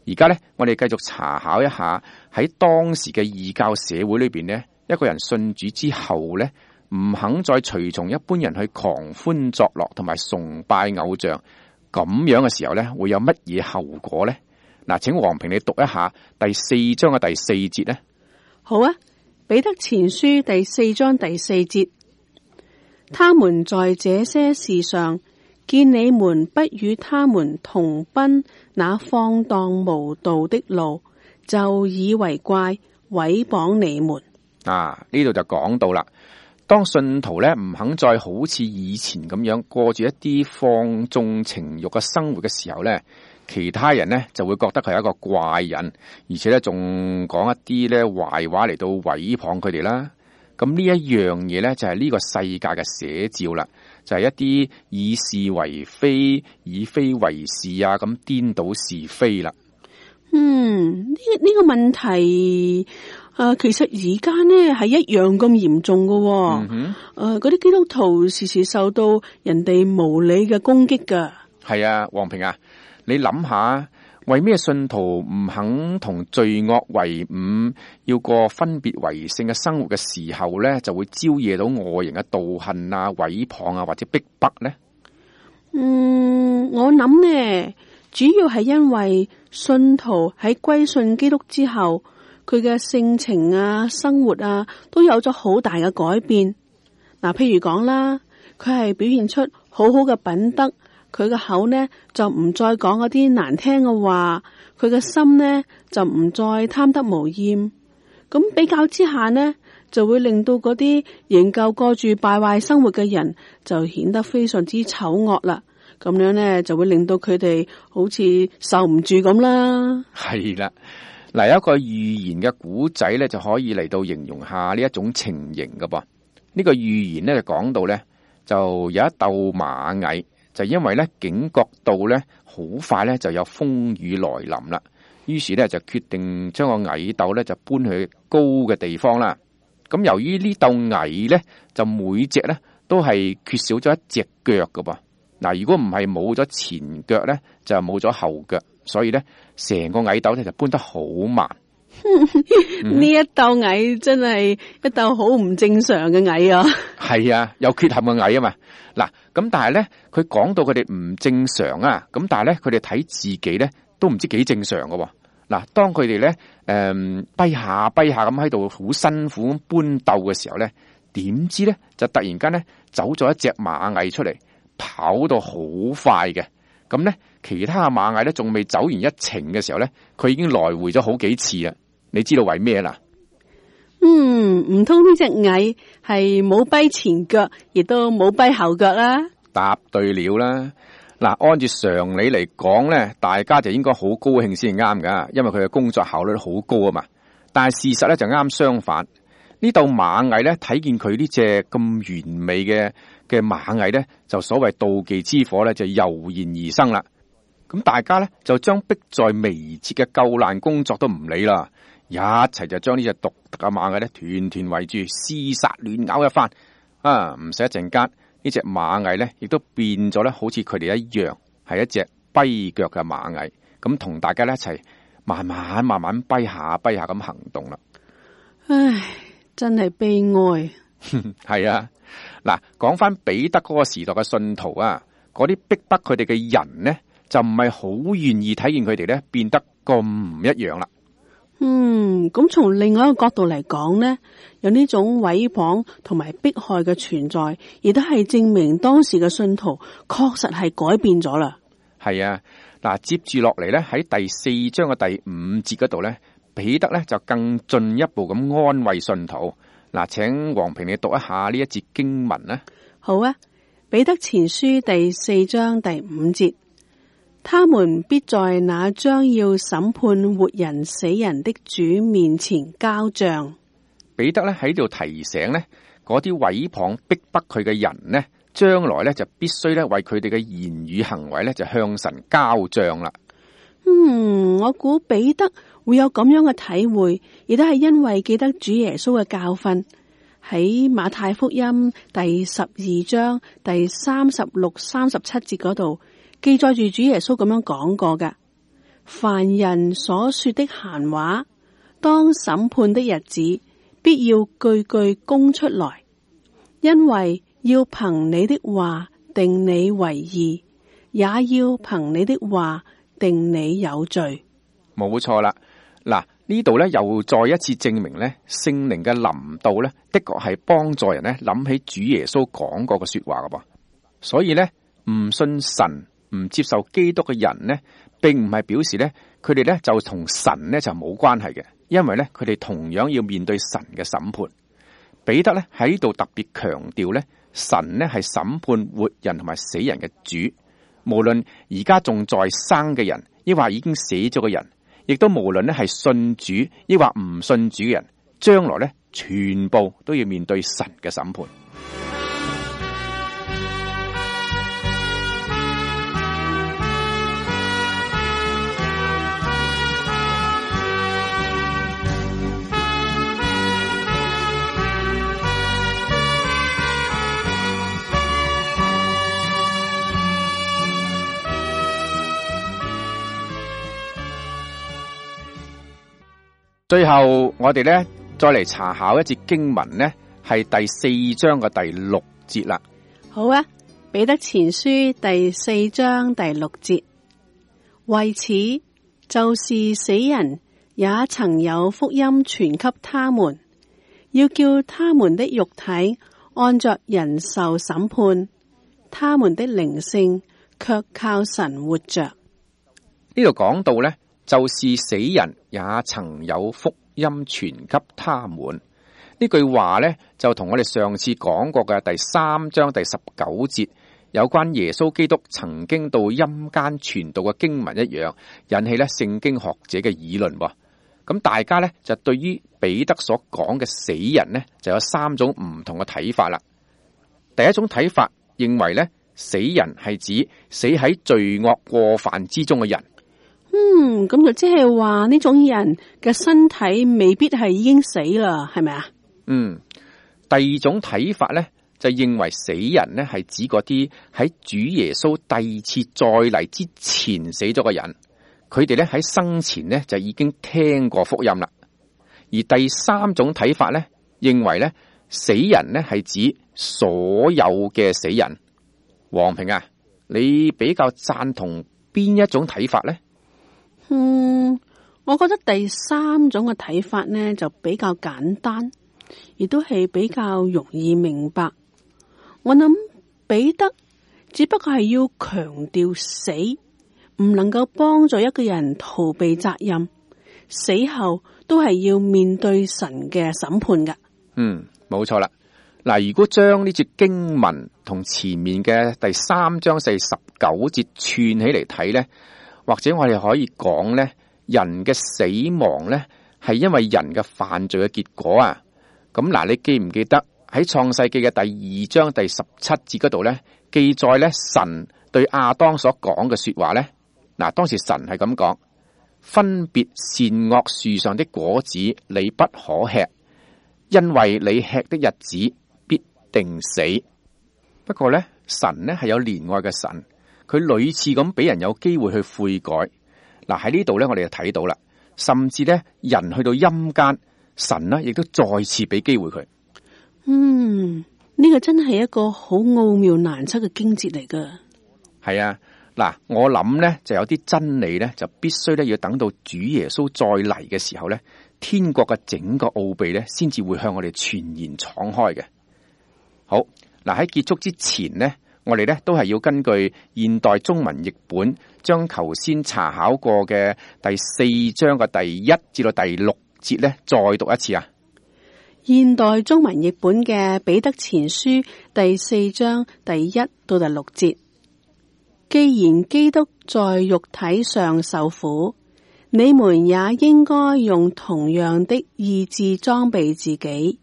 而家咧，我哋繼續查考一下喺當時嘅異教社會裏邊呢，一個人信主之後咧，唔肯再隨從一般人去狂歡作樂同埋崇拜偶像，咁樣嘅時候咧，會有乜嘢後果呢？嗱，請黃平你讀一下第4章嘅第4節咧。好啊，彼得前書第4章第4節，他們在這些事上見你們不與他們同奔那放蕩無道的路，就以為怪，毀謗你們。呢度就講到啦，當信徒咧唔肯再好似以前咁樣過住一啲放縱情慾嘅生活嘅時候咧，其他人咧就會覺得佢係一個怪人，而且咧仲講一啲咧壞話嚟到毀謗佢哋啦。咁呢一樣嘢咧就係呢個世界嘅寫照啦，就係一啲以是為非、以非為是啊，咁顛倒是非啦。呢個問題其實而家呢係一樣咁嚴重㗎。嗰啲基督徒時時受到人哋無理嘅攻擊噶。係啊，黃平啊，你諗下，為咩信徒唔肯同罪惡為伍，要過分別為聖嘅生活嘅時候咧，就會招惹到外人嘅妒恨啊、毀謗啊或者逼迫呢？我諗呢，主要係因為信徒喺歸信基督之後，佢嘅性情啊、生活啊，都有咗好大嘅改變。譬如講啦，佢係表現出好好嘅品德。佢嘅口呢就唔再講嗰啲難聽嘅話，佢嘅心呢就唔再貪得無厭。咁比較之下呢，就會令到嗰啲仍舊過住敗壞生活嘅人就顯得非常之醜惡啦。咁樣呢就會令到佢哋好似受唔住咁啦。係啦，嗱，有一個寓言嘅古仔呢，就可以嚟到形容下呢一種情形㗎噃。呢個寓言呢，就講到呢，就有一竇螞蟻。就因為咧警覺到咧好快咧就有風雨來臨啦，於是咧就決定將個蟻竇咧就搬去高嘅地方啦。咁由於呢竇蟻咧就每隻咧都係缺少咗一隻腳噶噃。嗱，如果唔係冇咗前腳咧，就冇咗後腳，所以咧成個蟻竇咧就搬得好慢。呢一竇蟻真係一竇好唔正常嘅蟻啊！係啊，有缺陷嘅蟻啊嘛。嗱，咁但係咧，佢講到佢哋唔正常啊，咁但係咧，佢哋睇自己咧都唔知幾正常噶。嗱，當佢哋咧跛下咁喺度好辛苦咁搬竇嘅時候咧，點知咧就突然間咧走咗一隻螞蟻出嚟，跑到好快嘅。咁咧，其他嘅螞蟻咧仲未走完一程嘅時候咧，佢已經來回咗好幾次啊！你知道為咩啦？唔通呢隻蟻係冇跛前腳，亦都冇跛後腳啦？答對了啦！嗱，按住常理嚟講咧，大家就應該好高興先啱噶，因為佢嘅工作效率好高啊嘛。但係事實咧就啱相反，呢竇螞蟻咧睇見佢呢隻咁完美嘅螞蟻咧，就所謂妒忌之火咧就油然而生啦。咁大家咧就將迫在眉睫嘅救難工作都唔理啦。一齊就將呢隻獨特嘅螞蟻咧團團圍住，廝殺亂咬一番。唔使一陣間，呢隻螞蟻咧亦都變咗咧，好似佢哋一樣，係一隻跛腳嘅螞蟻。咁同大家咧一齊慢慢跛下咁行動啦。唉，真係悲哀。係啊，嗱，講翻彼得嗰個時代嘅信徒啊，嗰啲逼迫佢哋嘅人呢，就唔係好願意睇見佢哋咧變得咁唔一樣啦。咁從另外一個角度嚟講呢，有呢種毀謗同埋迫害嘅存在，亦都係證明當時嘅信徒確實係改變咗啦。係啊，嗱，接住落嚟咧喺第4章嘅第5節嗰度咧，彼得咧就更進一步咁安慰信徒。嗱，請黃平你讀一下呢一節經文啦。好啊，彼得前書第4章第5節。他們必在那將要審判活人死人的主面前交賬。彼得咧喺度提醒咧，嗰啲毀謗逼迫佢嘅人呢，將來咧就必須咧為佢哋嘅言語行為咧就向神交賬啦。我估彼得會有咁樣嘅體會，亦都係因為記得主耶穌嘅教訓，喺馬太福音第12章第36、37節嗰度。記載住主耶穌咁樣講過㗎，凡人所說的閒話，當審判的日子，必要句句供出來，因為要憑你的話定你為義，也要憑你的話定你有罪。冇錯啦。嗱，呢度咧又再一次證明咧，聖靈嘅臨到咧，的確係幫助人咧諗起主耶穌講過嘅說話噶噃。所以咧，唔信神、唔接受基督嘅人呢，並唔係表示咧，佢哋咧就同神咧就冇關係嘅，因為咧佢哋同樣要面對神嘅審判。彼得咧喺呢度特別強調咧，神咧係審判活人同埋死人嘅主，無論而家仲在生嘅人，抑或已經死咗嘅人。亦都無論咧係信主抑或唔信主嘅人，將來咧全部都要面對神嘅審判。最後我哋咧再嚟查考一節經文呢，係第4章嘅第6節啦。好啊，彼得前書第4章第6節，為此就是死人也曾有福音傳給他們，要叫他們的肉體按着人受審判，他們的靈性卻靠神活着。呢度講到呢，就是死人也曾有福音傳給他們。呢句話呢，就同我哋上次講過嘅第3章第19節有關耶穌基督曾經到陰間傳道嘅經文一樣，引起咧聖經學者嘅議論。咁大家呢，就對於彼得所講嘅死人呢，就有3種唔同嘅睇法啦。第一種睇法認為呢，死人係指死喺罪惡過犯之中嘅人。咁就即係話呢種人嘅身體未必係已經死啦，係咪啊？第二種睇法咧，就認為死人咧係指嗰啲喺主耶穌第二次再嚟之前死咗嘅人，佢哋咧喺生前咧就已經聽過福音啦。而第三種睇法咧，認為咧死人咧係指所有嘅死人。黃平啊，你比較贊同邊一種睇法咧？我覺得第三種嘅睇法呢就比較簡單，亦都係比較容易明白。我諗彼得只不過係要強調死唔能夠幫助一個人逃避責任，死後都係要面對神嘅審判噶。冇錯啦。嗱，如果將呢節經文同前面嘅第3章第19節串起嚟睇呢，或者我哋可以講呢，人嘅死亡呢係因為人嘅犯罪嘅結果啊。咁嗱，你記唔記得喺創世記嘅第2章第17節嗰度呢，記載呢神對亞當所講嘅說話呢？嗱，當時神係咁講：分別善惡樹上的果子你不可吃，因為你吃的日子必定死。不過呢，神呢係有憐愛嘅神，佢屢次咁俾人有機會去悔改。嗱，喺呢度呢，我哋就睇到啦，甚至呢，人去到陰間，神呢亦都再次俾機會佢。呢個真係一個好奧妙難測嘅經節嚟噶。係啊，嗱，我諗呢就有啲真理呢，就必須呢要等到主耶穌再嚟嘅時候呢，天國嘅整個奧秘呢，先至會向我哋全然敞開嘅。好，嗱，喺結束之前呢，我哋呢都係要根據現代中文譯本，將頭先查考過嘅第4章嘅第1至到第6節呢，再讀一次啊。現代中文譯本嘅彼得前書第4章第1到第6節，既然基督在肉體上受苦，你們也應該用同樣的意志裝備自己，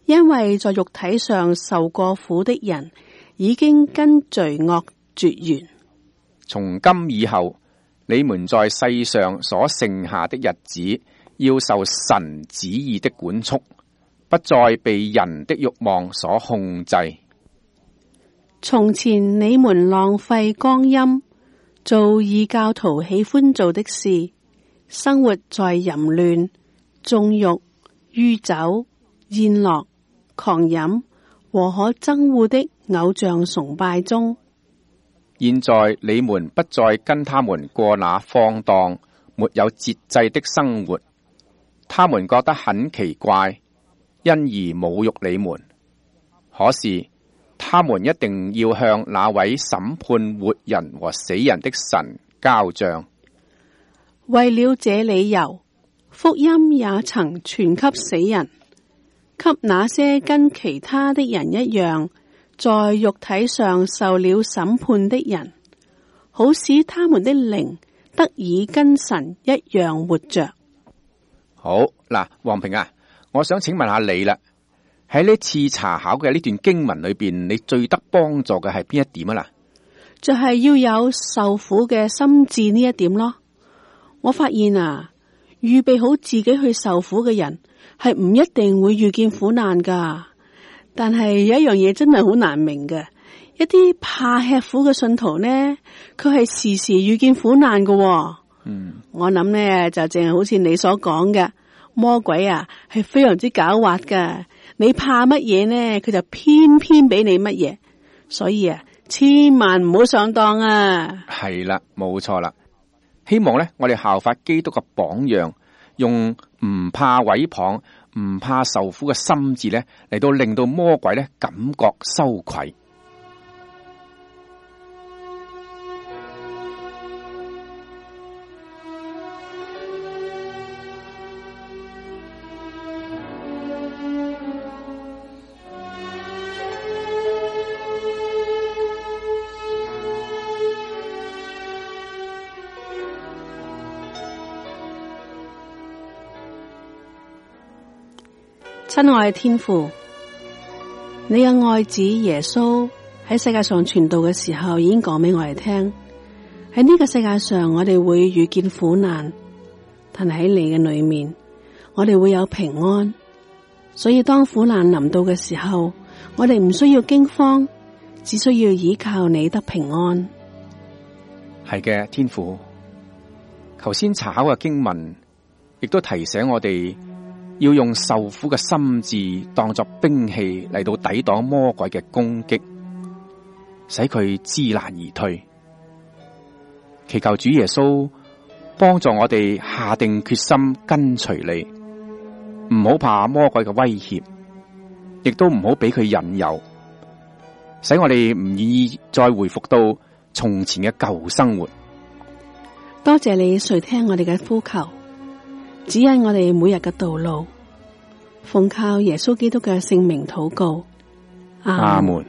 因為在肉體上受過苦的人，已經跟罪惡絕緣。從今以後，你們在世上所剩下的日子，要受神旨意的管束，不再被人的慾望所控制。從前你們浪費光陰，做異教徒喜歡做的事，生活在淫亂、縱慾、酗酒、宴樂、狂飲和可憎惡的偶像崇拜中。現在你們不再跟他們過那放蕩、沒有節制的生活，他們覺得很奇怪，因而侮辱你們。可是他們一定要向那位審判活人和死人的神交賬。為了這理由，福音也曾傳給死人，給那些跟其他的人一樣，在肉體上受了審判的人，好使他們的靈得以跟神一樣活着。好嗱，黃平啊，我想請問下你啦，喺呢次查考嘅呢段經文裏邊，你最得幫助嘅係邊一點啊？嗱，就係要有受苦嘅心志呢一點咯。我發現啊，預備好自己去受苦嘅人係唔一定會遇見苦難噶，但係有一樣嘢真係好難明嘅，一啲怕吃苦嘅信徒呢，佢係時時遇見苦難噶。我諗呢就淨係好似你所講嘅，魔鬼啊係非常之狡猾噶，你怕乜嘢呢，佢就偏偏俾你乜嘢，所以啊，千萬唔好上當啊！係啦，冇錯啦。希望呢，我哋效法基督嘅榜樣，用唔怕毀謗、唔怕受苦嘅心志呢，嚟到令到魔鬼呢感覺羞愧。親愛嘅天父，你嘅愛子耶穌喺世界上傳道嘅時候，已經講俾我哋聽，喺呢個世界上我哋會遇見苦難，但係喺你嘅裏面，我哋會有平安。所以當苦難臨到嘅時候，我哋唔需要驚慌，只需要依靠你得平安。係嘅，天父，頭先查考嘅經文亦都提醒我哋，要用受苦嘅心志當作兵器嚟到抵擋魔鬼嘅攻擊，使佢知難而退。祈求主耶穌幫助我哋下定決心跟隨你，唔好怕魔鬼嘅威脅，亦都唔好俾佢引誘，使我哋唔願意再回復到從前嘅舊生活。多謝你垂聽我哋嘅呼求，指引我哋每日嘅道路，奉靠耶穌基督嘅聖名禱告，阿門。